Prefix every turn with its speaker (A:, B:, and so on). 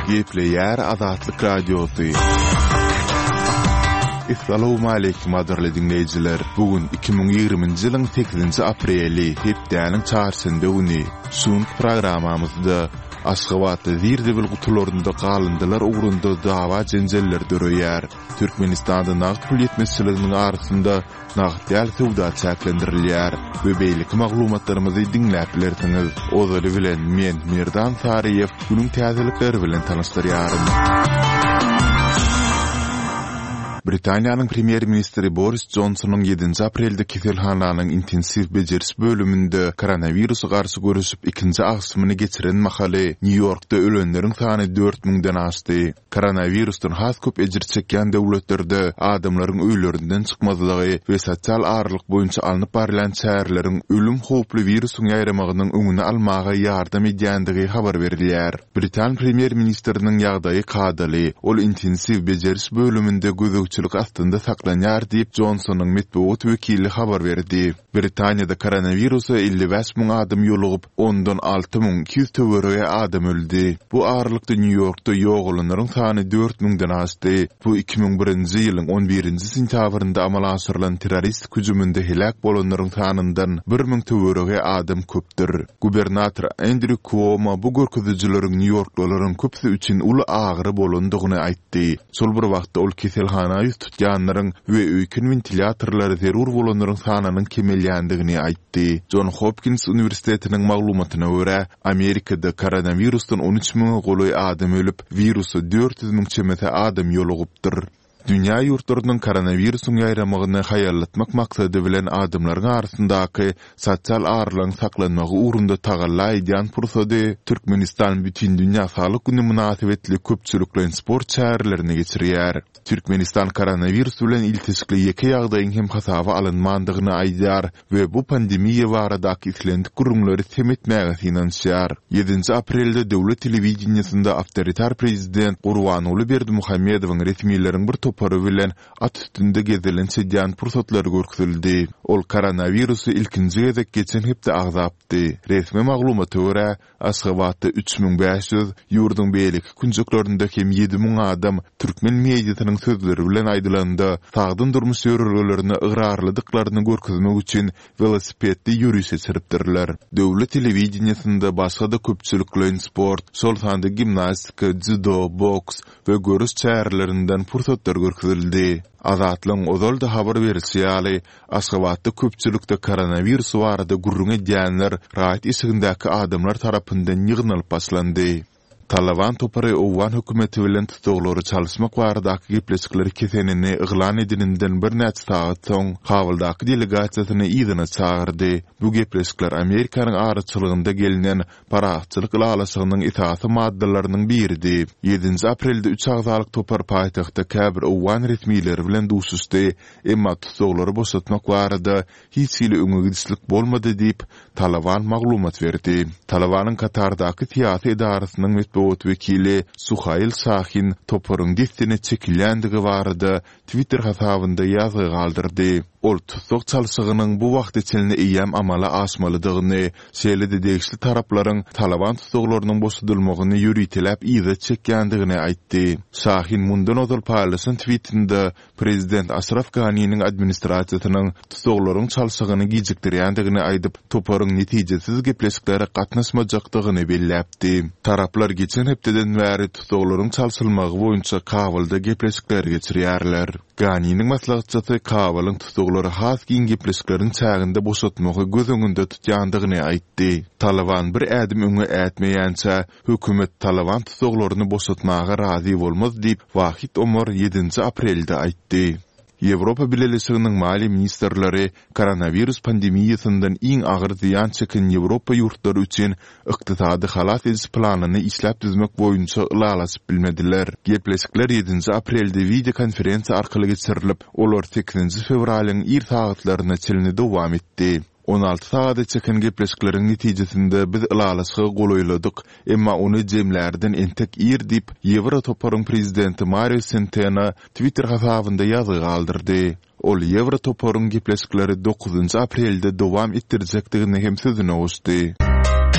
A: Gepleýär Azatlyk Radiosy. Essalawmaleýkim gadyrly diňleýjiler! Bu gün 2020-nji ýylyň sekizinji apreli, hepdäniň çarşenbe güni. Şu günki programmamyzda Aşgabatda zir-zibil gutularynda galyndylar ugrunda dawa-jenjeller döreýär. Türkmenistanda nagt pul ýetmezçiliginiň arasynda nagt däl söwda çäklendirilýär we beýleki maglumatlarymyzy diňläp bilersiňiz. Ozaly bilen men, Merdan Saryýew, günüň täzelikleri bilen tanyşdyrýaryn. Britaniýanyň premýer-ministri Boris Jonsonyň ýedinji aprelde keselhananyň intensiw bejeriş bölüminde koronawirusa garşy göreşip ikinji agşamyny geçiren mahaly Nýu-Ýorkda ölenleriň sany dört müňden aşdy. Koronawirusdan has köp ejir çekýän döwletlerde adamlaryň öýlerinden çykmazlygy we sosial aralyk boýunça alnyp barylýan çäreleriň ölüm howply wirusyň ýaýramagynyň öňüni almaga ýardam edýändigi habar berilýär. Britan premýer-ministriniň ýagdaýy kadaly, ol intensiw bejeriş bölüminde gözegçilik astynda saklanýar diýip, Jonsonyň metbugat wekili habar berdi. Britaniýada koronawirusa 55 müň adam ýolugyp, ondan 6200 töweregi adam öldi. Bu aralykda Nýu-Ýorkda ýogalanlaryň sany dört müňden aşdy. Bu 2001-nji ýylyň on birinji sentýabrynda amala aşyrylan terroristik hüjüminde heläk bolanlaryň sanyndan bir müň töweregi adam köpdür. Gubernator Endrýu Kuomo bu görkezijileriň nýu-ýorklylaryň köpüsi üçin uly agyry bolandygyny aýtdy. Şol bir wagtda ol keselhana ýüz tutýanlaryň we öýken wentilýatorlary zerur bolanlaryň sanynyň kemelýändigini aýtdy. Jon Hopkins uniwersitetiniň maglumatyna görä, Amerikada koronawirusdan 13 müňe golaý adam ölüp, wirusa 400 müň çemesi adam ýolugypdyr. Dünýä ýurtlarynyň koronawirusyň ýaýramagyny haýallatmak maksady bilen adamlaryň arasyndaky sosial aralygyň saklanmagy ugrunda tagalla edýän pursady Türkmenistan Bütindünýä saglyk güni mynasybetli köpçülikleýin sport çärelerini geçirýär. Türkmenistan koronawirus bilen ilteşikli ýeke ýagdaýyň hem hasaba alynmandygyny aýdýar we bu pandemiýa baradaky islendik gürrüňleri sem etmäge synanyşýar. Ýedinji aprelde döwlet telewideniýesinde awtoritar prezident Gurbanguly Berdimuhamedowyň resmileriň bir topary bilen at üstünde gezelenç edýän pursatlary görkezildi. Ol koronawirusy ilkinji gezek geçen hepde agzapdy. Resmi maglumata görä, Aşgabatda 3500, ýurduň beýleki künjeklerinde hem 7000 adam, türkmen mediasynyň sözleri bilen aýdylanda, sagdyn durmuş ýörelgelerine ygrarlydyklaryny görkezmek üçin welosipedli ýöriş geçiripdirler. Döwlet telewideniýesinde başga-da köpçülikleýin sport, şol sanda gimnastika, dzýudo, boks we göreş çärelerinden pursatlar görkezildi. Azatlygyň ozal-da habar berişi ýaly, Aşgabatda köpçülikde koronawirus barada gürrüň edýänler raýat eşigindäki adamlar tarapyndan ýygnalyp başlandy. Talaban topary owgan hökümeti bilen tussaglary çalyşmak baradaky gepleşikleri kesenini yglan edeninden birnäçe sagat soň, Kabuldaky delegasiýasyny yzyna çagyrdy. Bu gepleşikler Amerikanyň araçylygynda gelnen parahatçylyk ylalaşygynyň esasy maddalarynyň biridi. Ýedinji aprelde üç agzalyk topar paýtagtda käbir owgan resmileri bilen duşuşdy, Emma tussaglary boşatmak barada hiç hili öňe gidişlik bolmady diýip, Talaban maglumat berdi. Talabanyň Katardaky syýasy edarasynyň metbugat wekili Suhail Şahin toparyň dessine çekilýändigi barada Twitter hasabynda ýazgy galdyrdy. Ol tussag çalşygynyň bu wagta çenli eýýäm amala aşmalydygyny, şeýle-de degişli taraplaryň Talaban tussaglarynyň boşadylmagyny ýöriteläp yza çekýändigini aýtdy. Şahin mundan ozal paýlaşan twitinde Prezident Aşraf Ganiniň administrasiýasynyň tussaglaryň çalşygyny gijikdirýändigini aýdyp, toparyň netijesiz gepleşiklere gatnaşmajakdygyny belläpdi. Taraplar geçen hepdeden bäri tussaglaryň çalşylmagy boýunça Kabulda gepleşikleri geçirýärler. Ganiniň maslahatçysy Kabulyň tussaglary has giň gepleşikleriň çäginde boşatmagy göz öňünde tutýandygyny aýtdy. Talyban bir ädim öňe ätmeýänçä, Hökümet Talyban tussaglaryny boşatmaga razy bolmaz diýip, Wahid Omar ýedinji aprelde aýtdy. Ýewropa Bileleşiginiň maliýe ministrleri koronawirus pandemiýasyndan iň agyr zyýan çeken Ýewropa ýurtlary üçin ykdysady halas ediş planyny işläp düzmek boýunça ylalaşyp bilmediler. Gepleşikler ýedinji aprelde wideokonferensiýa arkaly geçirilip, olar sekizinji fewralyň ir sagatlaryna çenli dowam etdi. 16 sagada çeken gepleşikleriň netijesinde biz ylalaşyga golaýladyk, emma ony jemlärden entek ir diýip, Ýewrotoparyň prezidenti Mario Senteno Twitter hasabynda ýazgy galdyrdy. Ol Ýewrotoparyň gepleşikleri dokuzynjy aprelde dowam etdirjekdigini hem sözüne goşdy.